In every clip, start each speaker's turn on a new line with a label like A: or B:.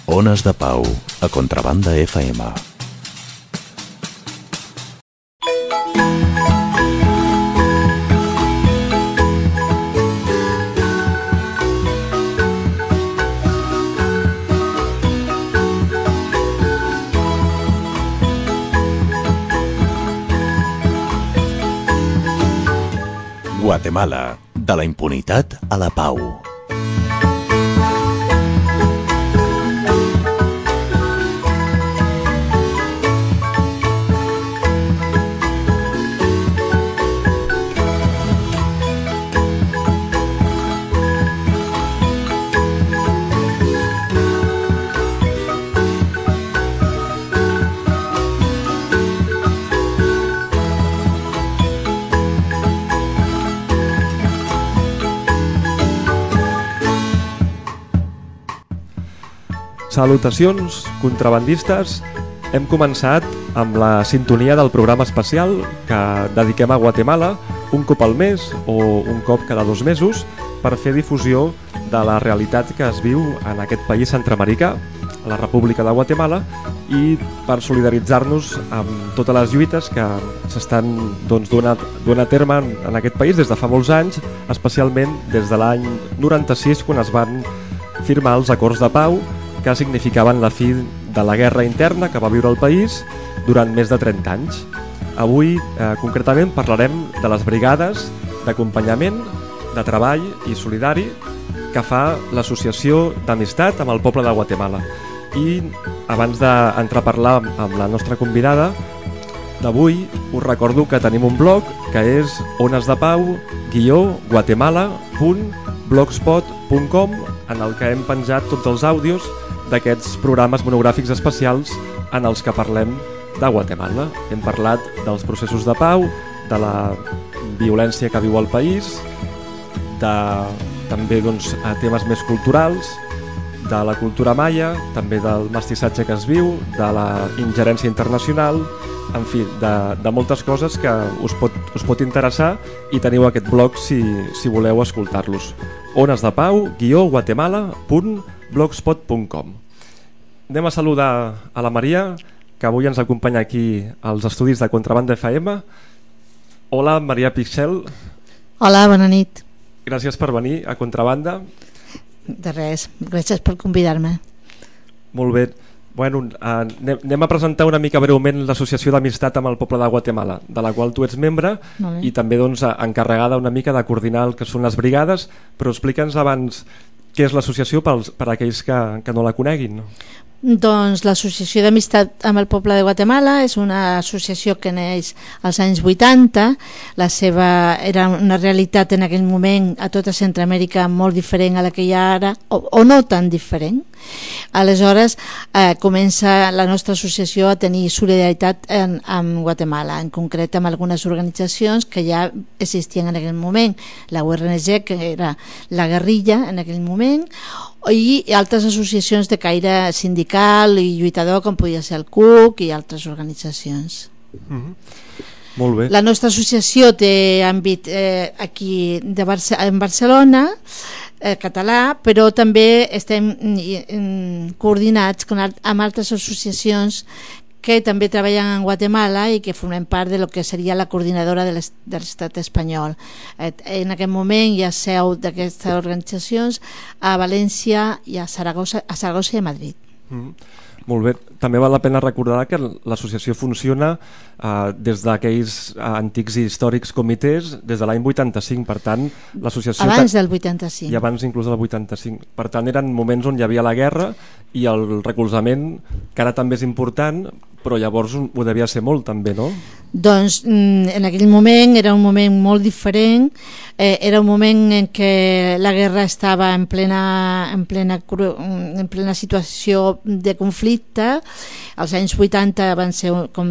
A: Ones de Pau, a Contrabanda FM. Guatemala, de la impunitat a la pau.
B: Salutacions, contrabandistes. Hem començat amb la sintonia del programa especial que dediquem a Guatemala un cop al mes o un cop cada 2 mesos per fer difusió de la realitat que es viu en aquest país centreamericà, la República de Guatemala, i per solidaritzar-nos amb totes les lluites que s'estan duent a terme en aquest país des de fa molts anys, especialment des de l'any 96, quan es van firmar els acords de pau que significaven la fi de la guerra interna que va viure el país durant més de 30 anys. Avui, concretament, parlarem de les brigades d'acompanyament, de treball i solidari que fa l'Associació d'Amistat amb el poble de Guatemala. I abans d'entrar a parlar amb la nostra convidada d'avui, us recordo que tenim un blog que és onesdepau-guatemala.blogspot.com, en el que hem penjat tots els àudios d'aquests programes monogràfics especials en els que parlem de Guatemala. Hem parlat dels processos de pau, de la violència que viu el país, també temes més culturals, de la cultura maia, també del mestissatge que es viu, de la ingerència internacional, en fi, de moltes coses que us pot interessar, i teniu aquest blog si voleu escoltar-los. onesdepau-guatemala.blogspot.com. Anem a saludar a la Maria, que avui ens acompanya aquí als estudis de Contrabanda FM. Hola, Maria Pixel.
C: Hola, bona nit.
B: Gràcies per venir a Contrabanda.
C: De res, gràcies per convidar-me.
B: Molt bé. Bueno, anem a presentar una mica breument l'Associació d'Amistat amb el poble de Guatemala, de la qual tu ets membre i també encarregada una mica de coordinar el que són les brigades, però explica'ns abans què és l'associació per a aquells que no la coneguin.
C: Doncs l'Associació d'Amistat amb el poble de Guatemala és una associació que neix als anys 80. La seva era una realitat en aquell moment a tota Centroamèrica molt diferent a la que hi ha ara, o no tan diferent. Aleshores comença la nostra associació a tenir solidaritat amb Guatemala, en concret amb algunes organitzacions que ja existien en aquell moment, la URNG, que era la guerrilla en aquell moment, i altres associacions de caire sindical i lluitador, com podia ser el CUC i altres organitzacions.
B: Molt bé.
C: La nostra associació té àmbit aquí en Barcelona, català, però també estem coordinats amb altres associacions que també treballen en Guatemala i que formem part de lo que seria la coordinadora de l'estat espanyol. En aquest moment hi ha seu d'aquestes organitzacions a València i a Saragossa i a Madrid.
B: Molt bé. També val la pena recordar que l'associació funciona des d'aquells antics i històrics comitès des de l'any 85, per tant l'associació...
C: Abans del 85.
B: I abans inclús del 85. Per tant eren moments on hi havia la guerra i el recolzament, que ara també és important, però llavors ho devia ser molt també, no?
C: Doncs en aquell moment era un moment molt diferent, era un moment en què la guerra estava en plena situació de conflicte. Els anys 80 van ser, com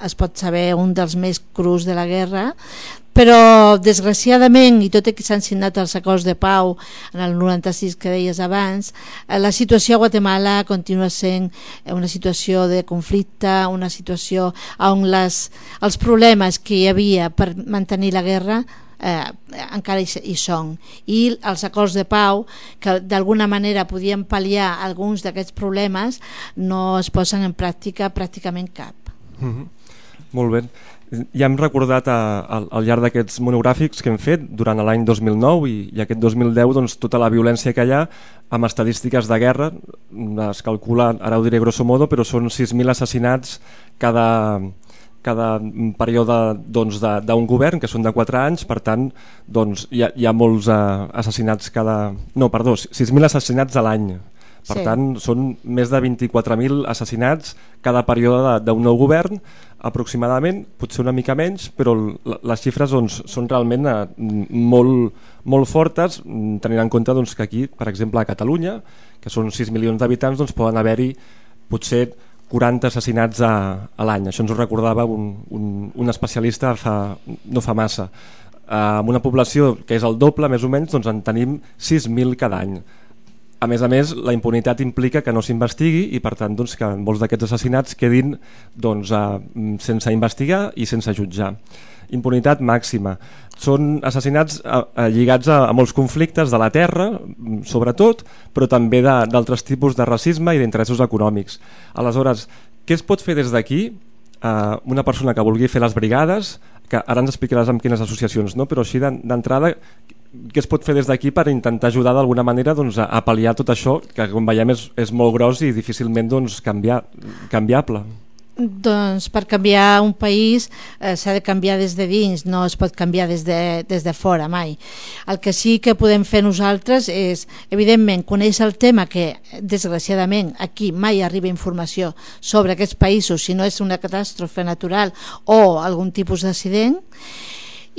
C: es pot saber, un dels més crus de la guerra, però desgraciadament, i tot i que s'han signat els acords de pau en el 96 que deies abans, la situació a Guatemala continua sent una situació de conflicte, una situació on els problemes que hi havia per mantenir la guerra encara hi són, i els acords de pau que d'alguna manera podien pal·liar alguns d'aquests problemes no es posen en pràctica pràcticament cap.
B: Molt bé. Ja hem recordat al llarg d'aquests monogràfics que hem fet durant l'any 2009 i aquest 2010 doncs, tota la violència que hi ha amb estadístiques de guerra. Es calcula, ara ho diré grosso modo, però són 6.000 assassinats cada període doncs, d'un govern, que són de 4 anys. Per tant, doncs, hi ha molts assassinats 6.000 assassinats a l'any. Per tant, són més de 24.000 assassinats cada període d'un nou govern, aproximadament, potser una mica menys, però les xifres doncs, són realment molt fortes, tenint en compte doncs, que aquí, per exemple, a Catalunya, que són 6 milions d'habitants, doncs, poden haver-hi potser 40 assassinats a l'any. Això ens ho recordava un especialista no fa massa. Amb una població que és el doble, més o menys, doncs en tenim 6.000 cada any. A més, la impunitat implica que no s'investigui i, per tant, doncs, que molts d'aquests assassinats quedin doncs, sense investigar i sense jutjar. Impunitat màxima. Són assassinats lligats a molts conflictes de la terra, sobretot, però també d'altres tipus de racisme i d'interessos econòmics. Aleshores, què es pot fer des d'aquí? Una persona que vulgui fer les brigades, que ara ens explicaràs amb quines associacions, no? Però així d'entrada, què es pot fer des d'aquí per intentar ajudar d'alguna manera doncs, a pal·liar tot això, que com veiem és molt gros i difícilment doncs, canviable?
C: Doncs per canviar un país s'ha de canviar des de dins, no es pot canviar des de fora mai. El que sí que podem fer nosaltres és, evidentment, conèixer el tema, que desgraciadament aquí mai arriba informació sobre aquests països si no és una catàstrofe natural o algun tipus d'accident.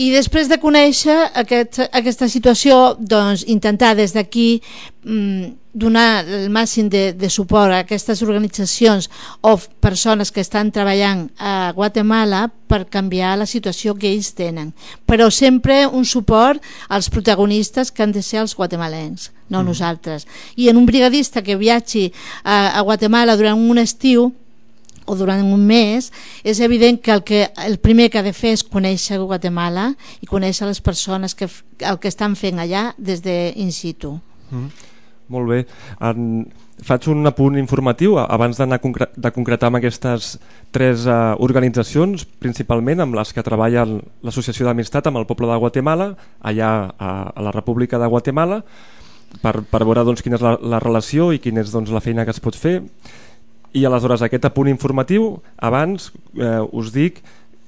C: I després de conèixer aquesta situació, doncs, intentar des d'aquí donar el màxim de suport a aquestes organitzacions o persones que estan treballant a Guatemala per canviar la situació que ells tenen, però sempre un suport als protagonistes que han de ser els guatemalens, no nosaltres. I en un brigadista que viatgi a Guatemala durant un estiu o durant un mes, és evident que el primer que ha de fer és conèixer Guatemala i conèixer les persones que el que estan fent allà des de in situ.
B: Molt bé. Faig un apunt informatiu abans d'anar de concretar amb aquestes 3 organitzacions, principalment amb les que treballa l'Associació d'Amistat amb el poble de Guatemala, allà a la República de Guatemala, per veure doncs, quina és la relació i quina és doncs, la feina que es pot fer. I aleshores aquest apunt informatiu, abans us dic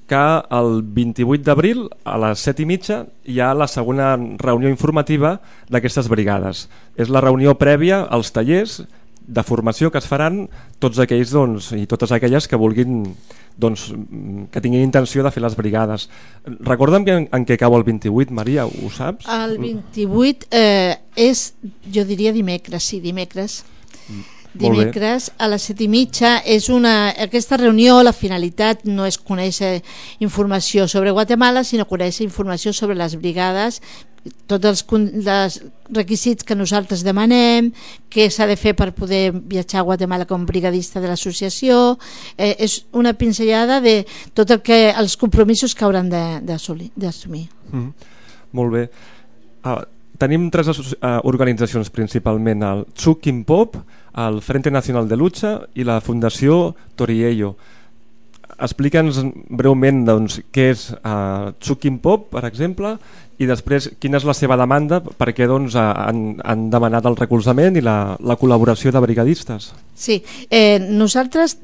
B: que el 28 d'abril a les 7:30 hi ha la segona reunió informativa d'aquestes brigades. És la reunió prèvia als tallers de formació que es faran tots aquells doncs, i totes aquelles que vulguin doncs, que tinguin intenció de fer les brigades. Recorda'm en què cau el 28, Maria, ho saps?
C: El 28 és, jo diria dimecres, sí, dimecres. Dimecres a les 7:30 aquesta reunió, la finalitat no és conèixer informació sobre Guatemala, sinó conèixer informació sobre les brigades, tots els requisits que nosaltres demanem, què s'ha de fer per poder viatjar a Guatemala com brigadista de l'associació. És una pinzellada de tot els compromisos que hauran d'assumir.
B: Molt bé. Tenim 3 organitzacions principalment, el Tsukimpop, el Frente Nacional de Lucha i la Fundació Toriello. Explica'ns breument doncs, què és Tsukimpop, per exemple, i després quina és la seva demanda, perquè doncs, han demanat el recolzament i la col·laboració de brigadistes.
C: Sí, nosaltres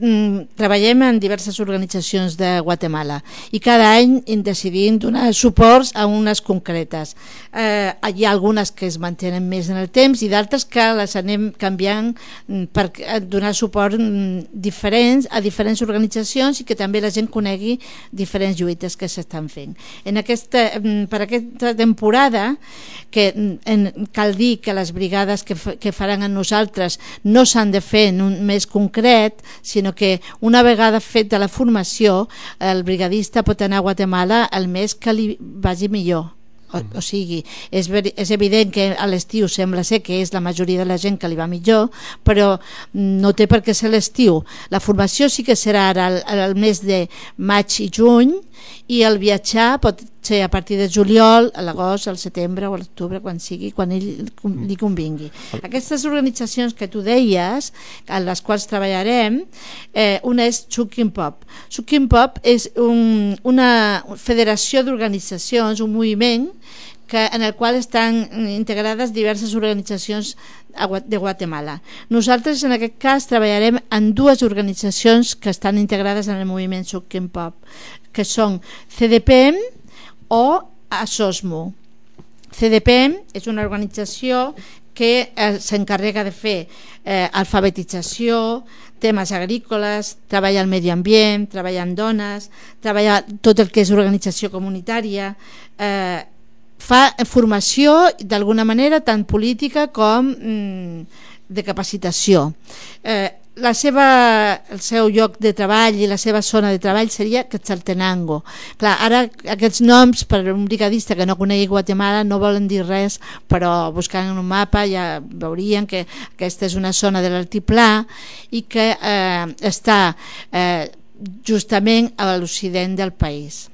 C: treballem en diverses organitzacions de Guatemala i cada any decidim donar suports a unes concretes. Hi ha algunes que es mantenen més en el temps i d'altres que les anem canviant per donar suport diferents a diferents organitzacions i que també la gent conegui diferents lluites que s'estan fent. Per aquesta temporada, que cal dir que les brigades que faran amb nosaltres no s'han de fer en un mes concret, sinó que una vegada feta la formació el brigadista pot anar a Guatemala el mes que li vagi millor. O sigui, és evident que a l'estiu sembla ser que és la majoria de la gent que li va millor, però no té per què ser l'estiu. La formació sí que serà ara el mes de maig i juny, i el viatjar pot ser a partir de juliol, a l'agost, al setembre o a l'octubre, quan sigui, quan li convingui. Aquestes organitzacions que tu deies, en les quals treballarem, una és Chukin Pop. Chukin Pop és una federació d'organitzacions, un moviment en el qual estan integrades diverses organitzacions de Guatemala. Nosaltres en aquest cas treballarem en dues organitzacions que estan integrades en el moviment Chukin Pop, que són CDPM o ASOSMO. CDPM és una organització que s'encarrega de fer alfabetització, temes agrícoles, treballa al medi ambient, treballa en dones, treballa tot el que és organització comunitària, fa formació d'alguna manera tant política com de capacitació. El seu lloc de treball i la seva zona de treball seria Quetzaltenango. Clar, ara aquests noms per un brigadista que no conegui Guatemala no volen dir res, però buscant en un mapa ja veurien que aquesta és una zona de l'altiplà i que està justament a l'occident del país.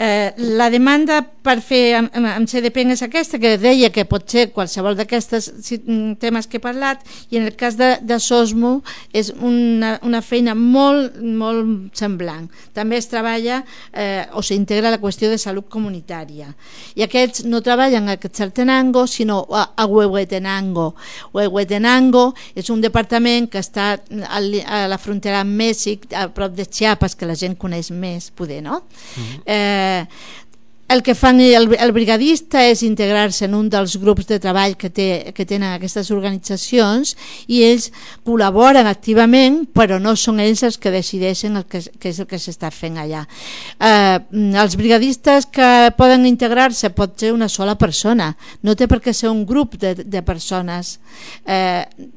C: La demanda per fer amb CDPM és aquesta, que deia que pot ser qualsevol d'aquestes temes que he parlat, i en el cas de SOSMO és una feina molt, molt semblant. També es treballa o s'integra la qüestió de salut comunitària, i aquests no treballen a Quetzaltenango sinó a Huehuetenango. Huehuetenango és un departament que està a la frontera amb Mèxic, a prop de Chiapas, que la gent coneix més, poder, no? El que fan el brigadista és integrar-se en un dels grups de treball que tenen aquestes organitzacions, i ells col·laboren activament, però no són ells els que decideixen què és el que s'està fent allà. Els brigadistes que poden integrar-se pot ser una sola persona, no té per què ser un grup de persones.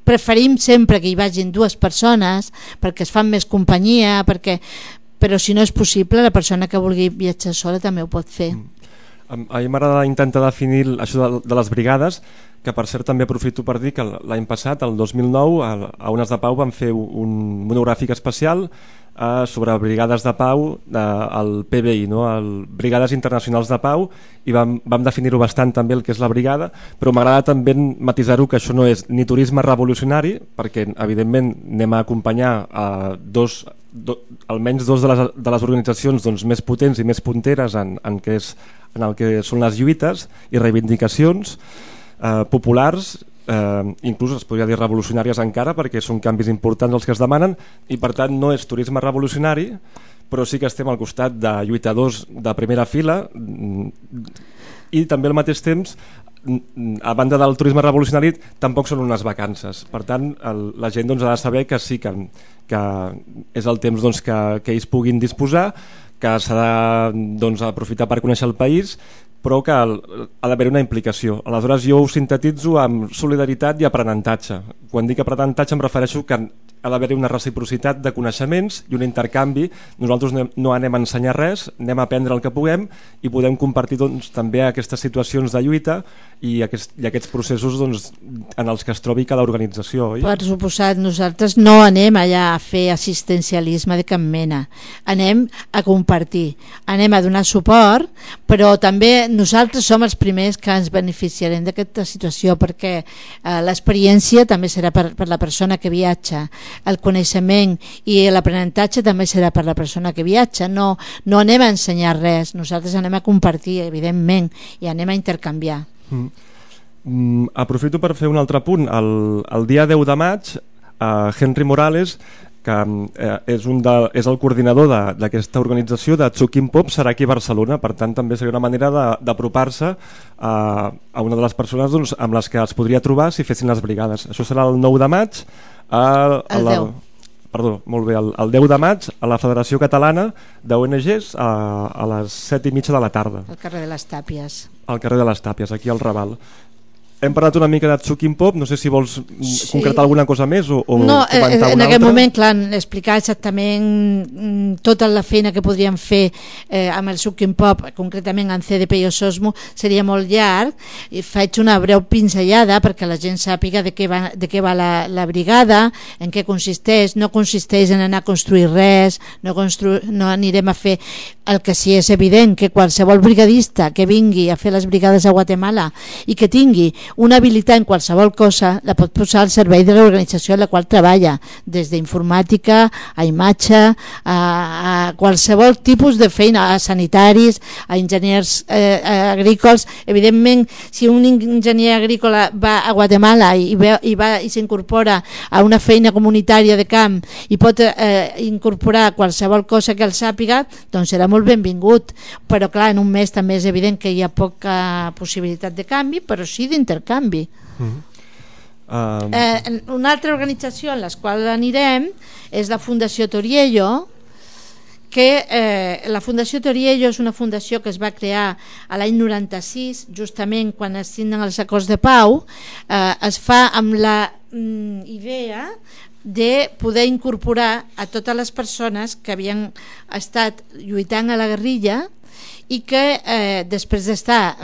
C: Preferim sempre que hi vagin dues persones perquè es fan més companyia, però si no és possible, la persona que vulgui viatjar sola també ho pot fer.
B: A mi m'agrada intentar definir això de les brigades, que per cert també aprofito per dir que l'any passat, el 2009, a Ones de Pau vam fer un monogràfic especial sobre brigades de pau, el PBI, no? El Brigades Internacionals de Pau, i vam definir-ho bastant també el que és la brigada, però m'agrada també matisar-ho que això no és ni turisme revolucionari, perquè evidentment anem a acompanyar almenys dos de les organitzacions més potents i més punteres en el que són les lluites i reivindicacions populars, inclús es podria dir revolucionàries encara, perquè són canvis importants els que es demanen, i per tant no és turisme revolucionari, però sí que estem al costat de lluitadors de primera fila, i també al mateix temps, a banda del turisme revolucionari, tampoc són unes vacances. Per tant, la gent ha de saber que sí que és el temps que ells puguin disposar, que s'ha d'aprofitar per conèixer el país, però que ha d'haver una implicació. Aleshores jo ho sintetitzo amb solidaritat i aprenentatge. Quan dic aprenentatge em refereixo que ha d'haver una reciprocitat de coneixements i un intercanvi. Nosaltres no anem a ensenyar res, anem a aprendre el que puguem i podem compartir també aquestes situacions de lluita i aquests processos en els que es trobi cada organització. Oi?
C: Per suposat, nosaltres no anem allà a fer assistencialisme de cap mena, anem a compartir, anem a donar suport, però també nosaltres som els primers que ens beneficiarem d'aquesta situació, perquè l'experiència també serà per la persona que viatja, el coneixement i l'aprenentatge també serà per la persona que viatja. No anem a ensenyar res, nosaltres anem a compartir, evidentment, i anem a intercanviar.
B: Aprofito per fer un altre punt. El dia 10 de maig Henry Morales, que és el coordinador d'aquesta organització de Chukin Pop, serà aquí a Barcelona. Per tant també seria una manera d'apropar-se a una de les persones amb les que es podria trobar si fessin les brigades. Això serà el 9 de maig el 10 de maig a la Federació Catalana d'ONGs a les 7:30 de la tarda
C: al carrer de les Tàpies.
B: Al carrer de les Tàpies, aquí al Raval. hem parlat una mica de Tsukin Pop, no sé si vols concretar alguna cosa més o
C: no,
B: comentar
C: en
B: una
C: aquest
B: altra.
C: moment, clar, explicar exactament tota la feina que podríem fer amb el Tsukin Pop, concretament en CDP i Ososmo, seria molt llarg, i faig una breu pinzellada perquè la gent sàpiga de què va la brigada, en què consisteix. No consisteix en anar a construir res, no anirem a fer el que sí és evident, que qualsevol brigadista que vingui a fer les brigades a Guatemala i que tingui una habilitat en qualsevol cosa la pot posar al servei de l'organització en la qual treballa, des d'informàtica a imatge, a qualsevol tipus de feina, a sanitaris, a enginyers agrícoles. Evidentment, si un enginyer agrícola va a Guatemala i s'incorpora a una feina comunitària de camp i pot incorporar qualsevol cosa que el sàpiga, doncs serà molt benvingut, però clar, en un mes també és evident que hi ha poca possibilitat de canvi, però sí d'intercanvi. Una altra organització en la qual anirem és la Fundació Toriello, que la Fundació Toriello és una fundació que es va crear a l'any 96, justament quan es signen els acords de pau. Es fa amb la idea de poder incorporar a totes les persones que havien estat lluitant a la guerrilla i que després d'estar,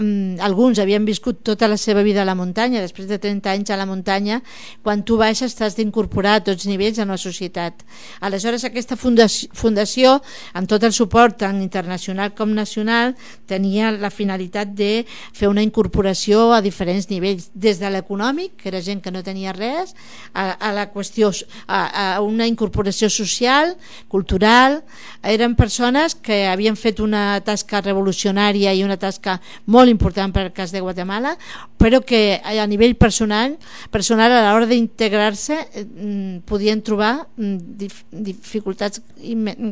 C: alguns havien viscut tota la seva vida a la muntanya, després de 30 anys a la muntanya, quan tu baixes t'has d'incorporar a tots nivells en la societat. Aleshores aquesta fundació, amb tot el suport tant internacional com nacional, tenia la finalitat de fer una incorporació a diferents nivells, des de l'econòmic, que era gent que no tenia res, a la qüestió, a una incorporació social, cultural. Eren persones que havien fet una tasca revolucionària i una tasca molt important per al cas de Guatemala, però que a nivell personal a l'hora d'integrar-se podien trobar dificultats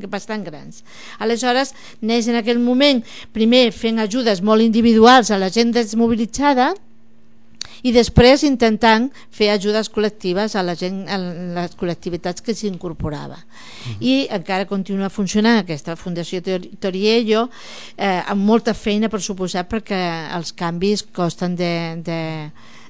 C: bastant grans. Aleshores neix en aquell moment primer fent ajudes molt individuals a la gent desmobilitzada i després intentant fer ajudes col·lectives a la gent, a les col·lectivitats que s'incorporava. I encara continua funcionant aquesta Fundació Toriello amb molta feina, per suposat, perquè els canvis costen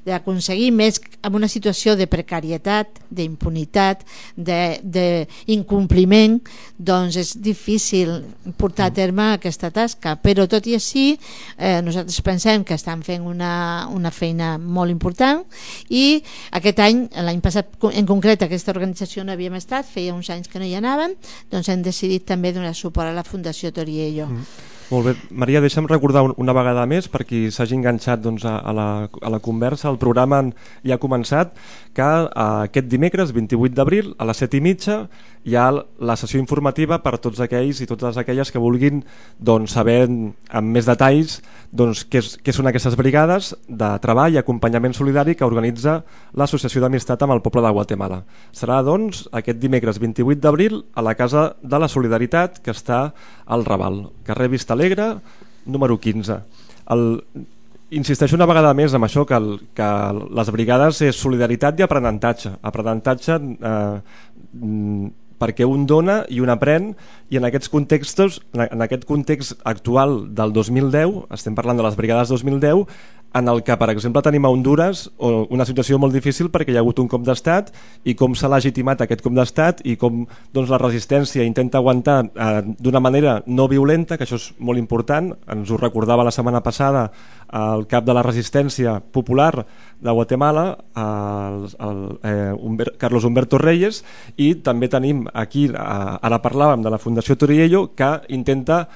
C: d'aconseguir, més en una situació de precarietat, d'impunitat, d'incompliment, doncs és difícil portar a terme aquesta tasca, però tot i així nosaltres pensem que estan fent una feina molt important. I aquest any, l'any passat en concret, aquesta organització no havíem estat, feia uns anys que no hi anàvem, doncs hem decidit també donar suport a la Fundació Toriello.
B: Molt bé, Maria, deixa'm recordar una vegada més, per qui s'hagi enganxat doncs, a la conversa. El programa ja ha començat, que aquest dimecres 28 d'abril a les 7:30 hi ha la sessió informativa per a tots aquells i totes aquelles que vulguin doncs, saber amb més detalls doncs, què són aquestes brigades de treball i acompanyament solidari que organitza l'Associació d'Amistat amb el Poble de Guatemala. Serà doncs, aquest dimecres 28 d'abril a la Casa de la Solidaritat, que està al Raval, carrer Vista Alegre, número 15. Insisteixo una vegada més amb això, que les brigades és solidaritat i aprenentatge. Aprenentatge perquè un dona i un aprèn, i en aquests contextos, en aquest context actual del 2010, estem parlant de les brigades 2010, en el que, per exemple, tenim a Hondures una situació molt difícil perquè hi ha hagut un cop d'estat i com s'ha legitimat aquest cop d'estat i com doncs, la resistència intenta aguantar d'una manera no violenta, que això és molt important. Ens ho recordava la setmana passada el cap de la resistència popular de Guatemala, Carlos Humberto Reyes, i també tenim aquí, ara parlàvem de la Fundació Toriello, que intenta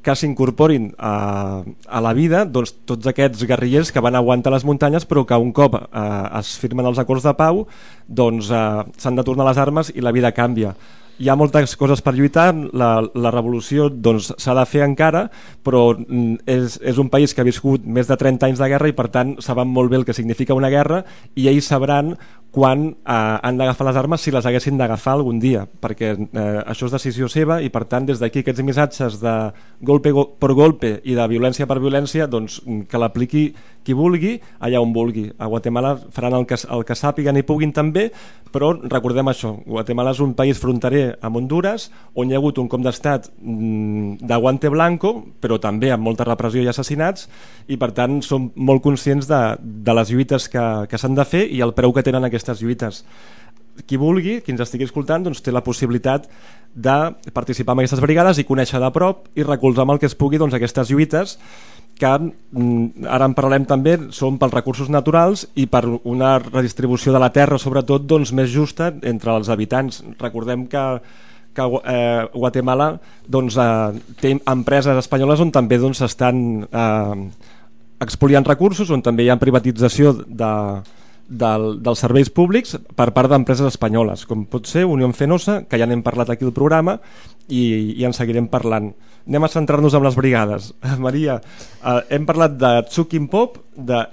B: que s'incorporin a la vida doncs, tots aquests guerrillers que van aguantar les muntanyes, però que un cop es firmen els acords de pau doncs s'han de tornar a les armes i la vida canvia. Hi ha moltes coses per lluitar, la revolució doncs, s'ha de fer encara, però és un país que ha viscut més de 30 anys de guerra i per tant saben molt bé el que significa una guerra, i ells sabran quan han d'agafar les armes, si les haguessin d'agafar algun dia, perquè això és decisió seva, i per tant des d'aquí aquests missatges de golpe per golpe i de violència per violència doncs, que l'apliqui qui vulgui, allà on vulgui. A Guatemala faran el que sàpiguen i puguin també, però recordem això, Guatemala és un país fronterer amb Honduras, on hi ha hagut un cop d'estat de guante blanco, però també amb molta repressió i assassinats, i per tant som molt conscients de les lluites que s'han de fer i el preu que tenen aquestes lluites. Qui vulgui, qui ens estigui escoltant, doncs té la possibilitat de participar en aquestes brigades i conèixer de prop i recolzar amb el que es pugui doncs, aquestes lluites que ara en parlarem també, són pels recursos naturals i per una redistribució de la terra sobretot doncs, més justa entre els habitants. Recordem que Guatemala doncs, té empreses espanyoles on també doncs, estan expoliant recursos, on també hi ha privatització dels serveis públics per part d'empreses espanyoles, com pot ser Unión Fenosa, que ja n'hem parlat aquí al programa i en seguirem parlant. Anem a centrar-nos en les brigades. Maria, hem parlat de Tzukin Pop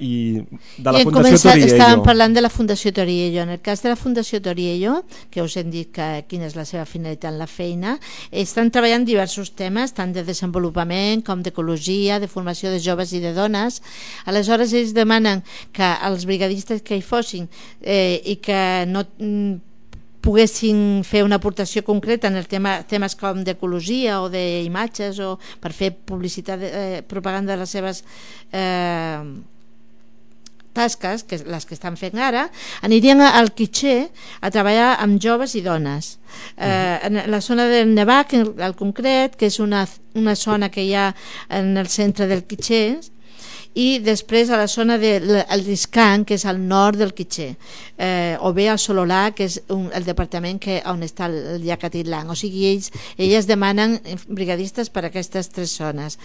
B: i de la Fundació Toriello.
C: Estàvem parlant de la Fundació Toriello. En el cas de la Fundació Toriello, que us hem dit quina és la seva finalitat en la feina, estan treballant diversos temes, tant de desenvolupament com d'ecologia, de formació de joves i de dones. Aleshores ells demanen que els brigadistes que hi fossin i que no poguessin fer una aportació concreta en el temes com d'ecologia o d'imatges o per fer publicitat, propaganda de les seves tasques, que les que estan fent ara, anirien al Quiché a treballar amb joves i dones. En la zona del Nevac, al concret, que és una zona que hi ha en el centre del Quiché, i després a la zona del Riscan, que és al nord del Quiché, o bé al Sololà, que és el departament on està el llac Atitlán. O sigui, elles demanen brigadistes per a aquestes tres zones,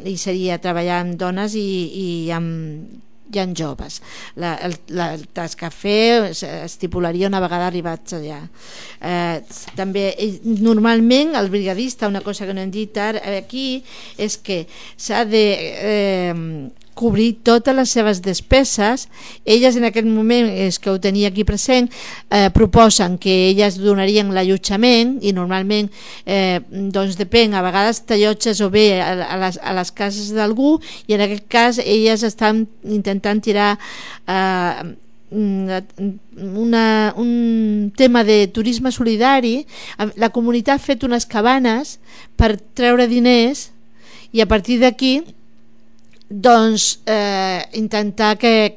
C: i seria treballar amb dones i amb joves. La tasca a fer estipularia una vegada arribats allà. També normalment el brigadista, una cosa que no hem dit aquí, és que s'ha de cobrir totes les seves despeses. Elles en aquest moment, és que ho tenia aquí present, proposen que elles donarien l'allotjament i normalment doncs depèn, a vegades t'allotges o bé a les cases d'algú, i en aquest cas elles estan intentant tirar un tema de turisme solidari. La comunitat ha fet unes cabanes per treure diners i a partir d'aquí doncs intentar que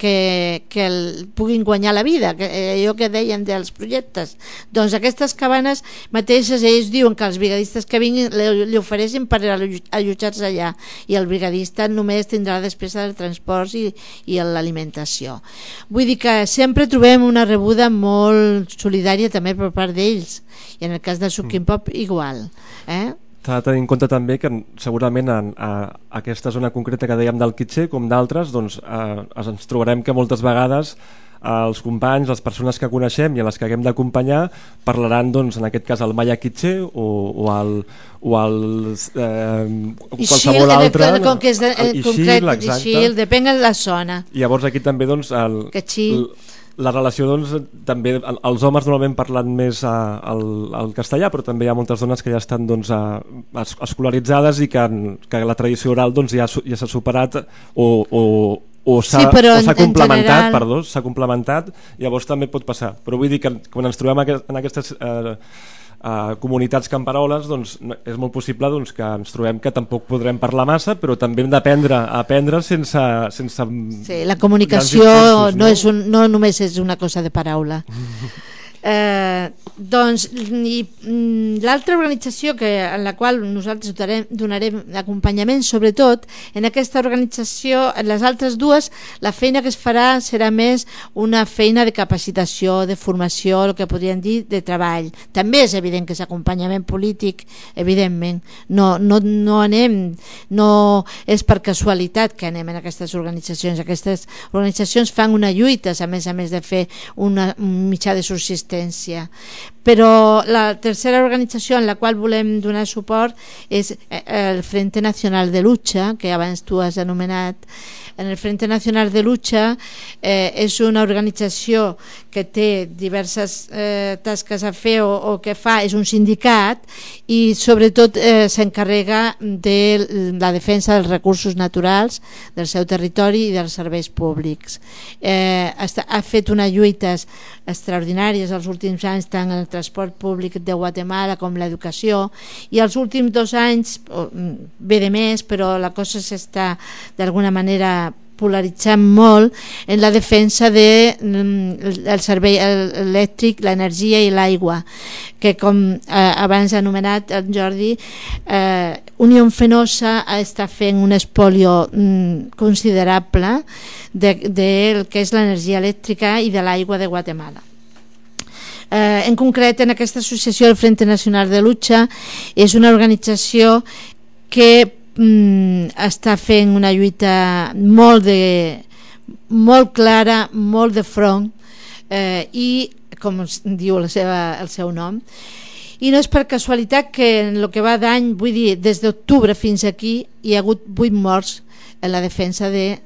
C: puguin guanyar la vida, allò que deien dels projectes. Doncs aquestes cabanes mateixes, ells diuen que els brigadistes que vinguin li ofereixin per allotjar-se allà, i el brigadista només tindrà la despesa del transport i l'alimentació. Vull dir que sempre trobem una rebuda molt solidària també per part d'ells, i en el cas del Tzukin Pop igual.
B: S'ha de tenir en compte també que segurament a aquesta zona concreta que dèiem del Quiché, com d'altres, doncs, ens trobarem que moltes vegades els companys, les persones que coneixem i a les que haguem d'acompanyar parlaran, doncs, en aquest cas, el Maya Quiché o qualsevol altre.
C: Com que és concret, Ixil, depèn de la zona.
B: I llavors aquí també doncs, la relació, doncs, també els homes normalment parlen més el castellà, però també hi ha moltes dones que ja estan doncs, escolaritzades i que la tradició oral doncs, ja s'ha superat o s'ha complementat, general... s'ha complementat, llavors també pot passar. Però vull dir que quan ens trobem en aquestes comunitats camperoles, doncs, és molt possible doncs, que ens trobem que tampoc podrem parlar massa, però també hem d'aprendre a aprendre sense
C: sí, la comunicació discursos, no només és una cosa de paraula. Doncs l'altra organització en la qual nosaltres donarem acompanyament, sobretot en aquesta organització, en les altres dues la feina que es farà serà més una feina de capacitació, de formació, el que podríem dir de treball. També és evident que és acompanyament polític, evidentment, no anem, no és per casualitat que anem en aquestes organitzacions fan una lluita, a més de fer un mitjà de subsistència. Però la tercera organització en la qual volem donar suport és el Frente Nacional de Lucha, que abans tu has anomenat. En el Frente Nacional de Lucha és una organització que té diverses tasques a fer o que fa, és un sindicat i sobretot s'encarrega de la defensa dels recursos naturals del seu territori i dels serveis públics. Ha fet unes lluites extraordinàries els últims anys tant en el transport públic de Guatemala com l'educació, i els últims 2 anys ve de més, però la cosa s'està d'alguna manera polaritzant molt en la defensa del servei elèctric, l'energia i l'aigua, que com abans ha anomenat el Jordi, Unión Fenosa està fent un espolio considerable del que és l'energia elèctrica i de l'aigua de Guatemala. En concret, en aquesta associació, el Frente Nacional de Lucha és una organització que està fent una lluita molt clara, molt de front, i com diu el seu nom, i no és per casualitat que en el que va d'any, vull dir, des d'octubre fins aquí hi ha hagut 8 morts en la defensa del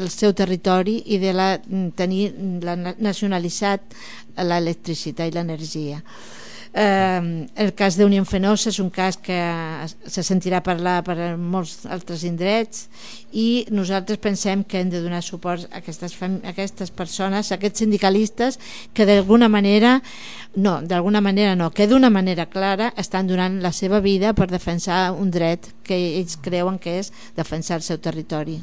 C: seu territori i de tenir nacionalitzat l'electricitat i l'energia. El cas d'Unión Fenosa és un cas que se sentirà parlar per molts altres indrets, i nosaltres pensem que hem de donar suport a aquestes persones, a aquests sindicalistes que que d'una manera clara estan donant la seva vida per defensar un dret que ells creuen que és defensar el seu territori.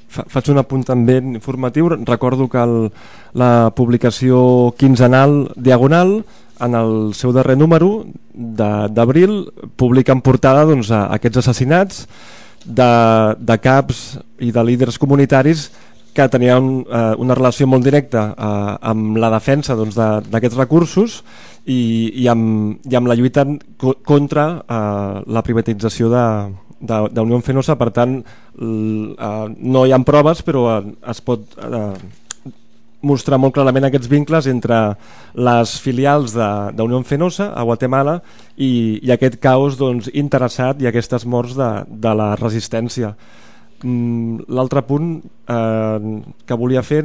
B: Faig un apunt també informatiu. Recordo que la publicació quinzenal Diagonal, en el seu darrer número d'abril, publica en portada aquests assassinats de caps i de líders comunitaris que tenien una relació molt directa amb la defensa d'aquests recursos i amb la lluita contra la privatització d'Unión Fenosa. Per tant, no hi ha proves, però es pot mostrar molt clarament aquests vincles entre les filials d'Unión Fenosa a Guatemala i aquest caos interessat i aquestes morts de la resistència. L'altre punt que volia fer,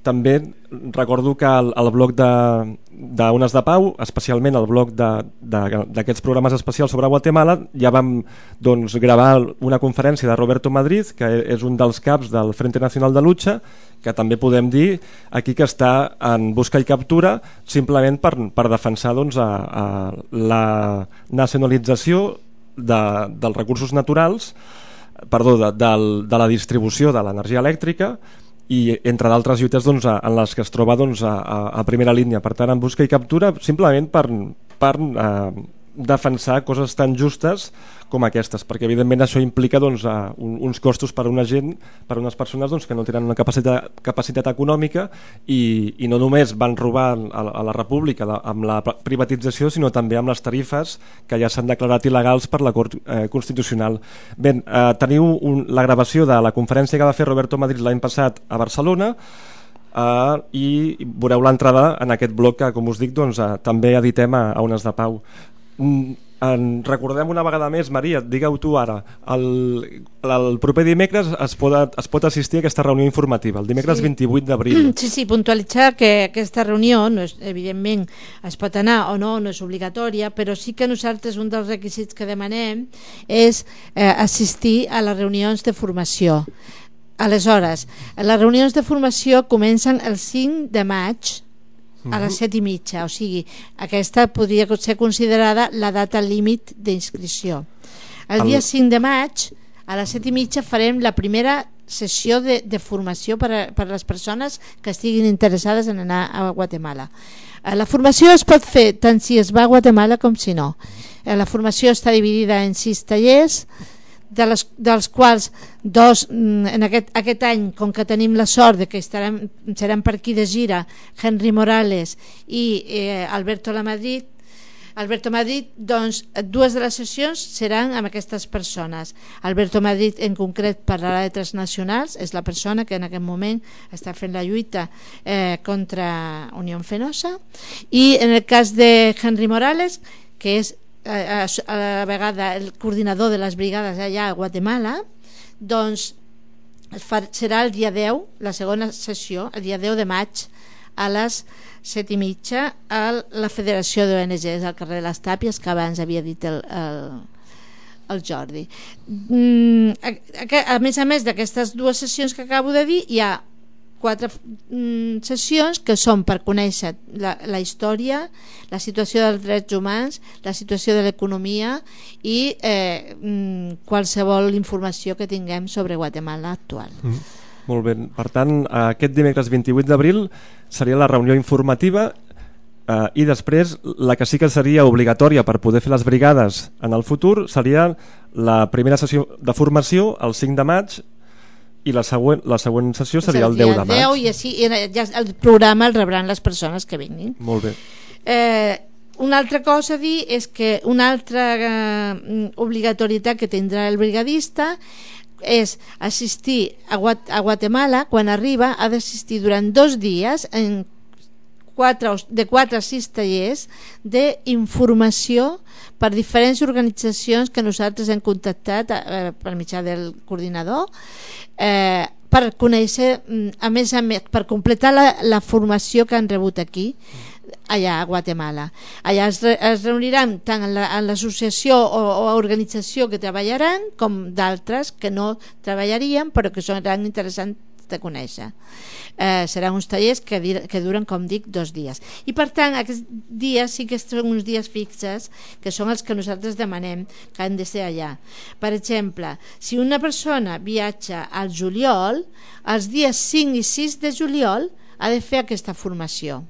B: també recordo que el bloc d'Ones de Pau, especialment el bloc d'aquests programes especials sobre Guatemala, ja vam gravar una conferència de Roberto Madrid, que és un dels caps del Frente Nacional de Lucha, que també podem dir aquí que està en busca i captura simplement per defensar la nacionalització dels recursos naturals, de la distribució de l'energia elèctrica, i entre d'altres lluites en les que es troba a primera línia. Per tant, en busca i captura simplement per defensar coses tan justes com aquestes, perquè evidentment això implica uns costos per a una gent, per a unes persones que no tenen una capacitat econòmica, i no només van robar a la República amb la privatització, sinó també amb les tarifes que ja s'han declarat il·legals per la Cort Constitucional. Bé, teniu la gravació de la conferència que va fer Roberto Madrid l'any passat a Barcelona, i veureu l'entrada en aquest bloc que, com us dic, també editem a Ones de Pau. Recordem una vegada més, Maria, digue-ho tu ara, el proper dimecres es pot assistir a aquesta reunió informativa, el dimecres 28 d'abril.
C: Sí, puntualitzar que aquesta reunió, evidentment es pot anar o no és obligatòria, però sí que nosaltres un dels requisits que demanem és assistir a les reunions de formació. Aleshores, les reunions de formació comencen el 5 de maig a les 7:30, o sigui, aquesta podria ser considerada la data límit d'inscripció. El dia 5 de maig a les 7:30 farem la primera sessió de formació per a les persones que estiguin interessades en anar a Guatemala. La formació es pot fer tant si es va a Guatemala com si no. La formació està dividida en 6 tallers, dels quals 2 en aquest any, com que tenim la sort de que seran per aquí de gira Henry Morales i Alberto Lamadrid, Alberto Madrid, doncs, dues de les sessions seran amb aquestes persones. Alberto Madrid en concret parlarà de transnacionals, és la persona que en aquest moment està fent la lluita contra Unión Fenosa, i en el cas de Henry Morales, que és a la vegada el coordinador de les brigades allà a Guatemala, doncs serà el dia 10, la segona sessió, el dia 10 de maig a les 7:30 a la Federació d'ONGs al carrer de les Tàpies, que abans havia dit el Jordi. A més d'aquestes dues sessions que acabo de dir, hi ha 4 sessions que són per conèixer la història, la situació dels drets humans, la situació de l'economia i qualsevol informació que tinguem sobre Guatemala actual.
B: Molt bé, per tant, aquest dimecres 28 d'abril seria la reunió informativa i després la que sí que seria obligatòria per poder fer les brigades en el futur seria la primera sessió de formació el 5 de maig i la següent sessió seria el 10 de maig.
C: I així ja el programa el rebran les persones que vinguin.
B: Molt bé.
C: Una altra cosa a dir és que una altra obligatorietat que tindrà el brigadista és assistir a Guatemala. Quan arriba ha d'assistir durant 2 dies de 4 a 6 tallers d'informació per diferents organitzacions que nosaltres hem contactat per mitjà del coordinador per conèixer, a més, per completar la formació que han rebut aquí allà a Guatemala. Allà es reuniran tant en l'associació o organització que treballaran com d'altres que no treballarien però que seran interessants de conèixer. Seran uns tallers que duren, com dic, 2 dies. I per tant, aquests dies sí que són uns dies fixes, que són els que nosaltres demanem que han de ser allà. Per exemple, si una persona viatja al juliol, els dies 5 i 6 de juliol ha de fer aquesta formació.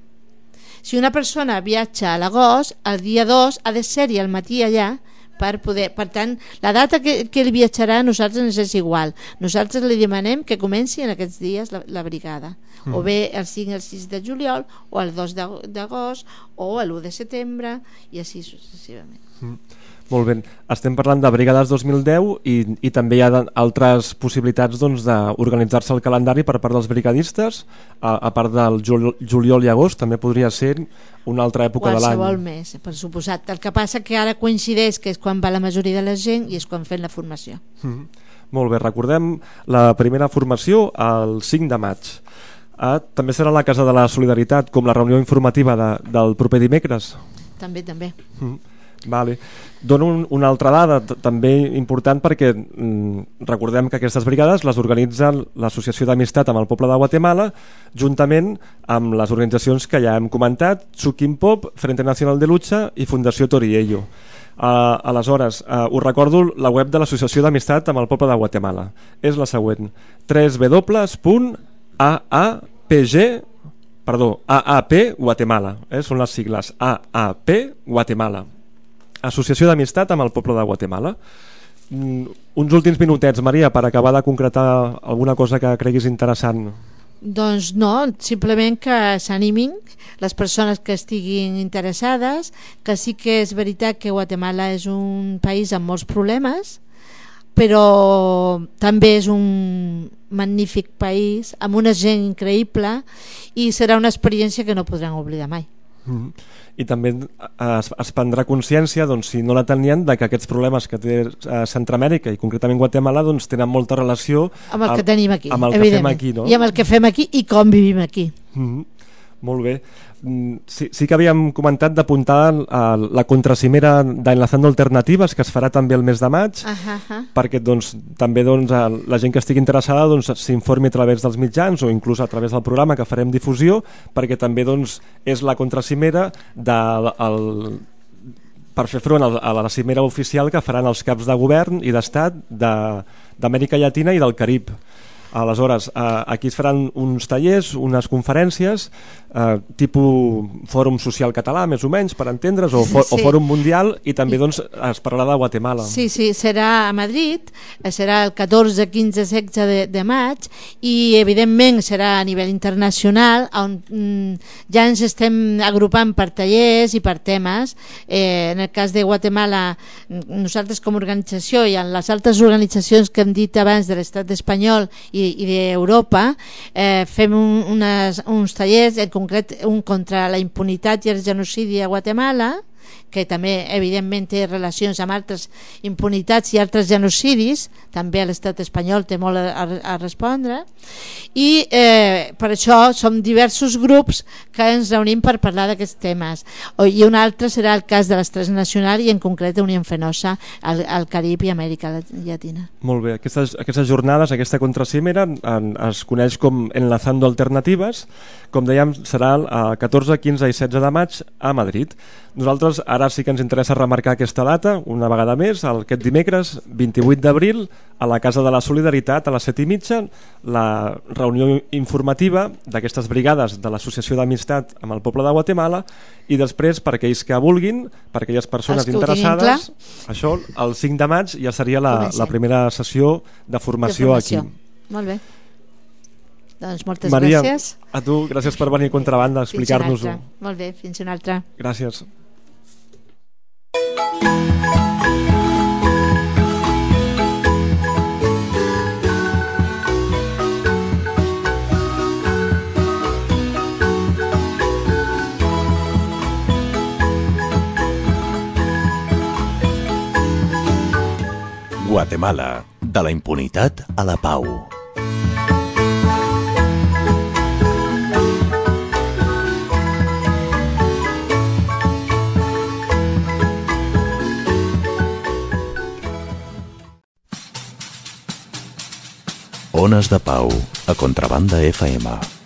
C: Si una persona viatja a l'agost, el dia 2 ha de ser-hi al matí allà per poder. Per tant, la data que ell viatjarà a nosaltres ens és igual. Nosaltres li demanem que comenci en aquests dies la brigada. O bé el 5 i el 6 de juliol, o el 2 d'agost, o l'1 de setembre, i així successivament.
B: Molt bé. Estem parlant de Brigades 2010 i també hi ha altres possibilitats d'organitzar-se el calendari per part dels brigadistes, a part del juliol i agost, també podria ser una altra època de l'any.
C: Qualsevol mes, per suposat. El que passa que ara coincideix que és quan va la majoria de la gent i és quan fem la formació.
B: Molt bé, recordem la primera formació el 5 de maig. També serà a la Casa de la Solidaritat, com la reunió informativa del proper dimecres?
C: També.
B: Vale. Dono una altra dada també important perquè recordem que aquestes brigades les organitza l'Associació d'Amistat amb el Poble de Guatemala juntament amb les organitzacions que ja hem comentat, Tsukimpop, Frente Nacional de Lucha i Fundació Toriello. Aleshores, us recordo la web de l'Associació d'Amistat amb el Poble de Guatemala. És la següent: AAP Guatemala, són les sigles AAP Guatemala, Associació d'Amistat amb el Poble de Guatemala. Uns últims minutets, Maria, per acabar de concretar alguna cosa que creguis interessant.
C: Doncs no, simplement que s'animin les persones que estiguin interessades, que sí que és veritat que Guatemala és un país amb molts problemes, però també és un magnífic país amb una gent increïble i serà una experiència que no podran oblidar mai.
B: I també es prendrà consciència, si no la tenien, de que aquests problemes que té Centroamèrica i concretament Guatemala tenen molta relació
C: amb el que tenim aquí,
B: amb el que fem aquí, no?
C: I amb el que fem aquí i com vivim aquí.
B: Molt bé. Sí que havíem comentat d'apuntar la contracimera d'Enlazando Alternatives, que es farà també el mes de maig, perquè també la gent que estigui interessada s'informi a través dels mitjans o inclús a través del programa que farem difusió, perquè també és la contracimera per fer front a la cimera oficial que faran els caps de govern i d'estat d'Amèrica Llatina i del Carib. Aleshores, aquí es faran uns tallers, unes conferències, tipus Fòrum Social Català, més o menys, per entendre's, o Fòrum Mundial, i també doncs, es parlarà de Guatemala.
C: Sí, serà a Madrid, serà el 14, 15, 16 de maig, i evidentment serà a nivell internacional, on ja ens estem agrupant per tallers i per temes. En el cas de Guatemala, nosaltres com a organització i en les altres organitzacions que hem dit abans de l'estat espanyol i d'Europa, fem uns tallers, en concret un contra la impunitat i el genocidi a Guatemala, que també evidentment té relacions amb altres impunitats i altres genocidis, també l'estat espanyol té molt a respondre, i per això som diversos grups que ens reunim per parlar d'aquests temes. I un altre serà el cas de l'Estrès Nacional i en concret Unió Fenosa al Carib i Amèrica Llatina.
B: Molt bé, aquestes jornades, aquesta contracimera es coneix com Enlazando Alternatives, com dèiem serà el 14, 15 i 16 de maig a Madrid. Nosaltres ara sí que ens interessa remarcar aquesta data, una vegada més, aquest dimecres 28 d'abril, a la Casa de la Solidaritat, a les 7:30, la reunió informativa d'aquestes brigades de l'Associació d'Amistat amb el poble de Guatemala, i després, per aquells que vulguin, per aquelles persones interessades, això, el 5 de maig ja seria la primera sessió de formació aquí.
C: Molt bé. Doncs moltes
B: Maria,
C: gràcies.
B: A tu, gràcies per venir a Contrabanda a explicar-nos-ho.
C: Molt bé, fins una altra.
B: Gràcies.
A: Guatemala, de la impunitat a la pau. Ones de Pau, a Contrabanda FM.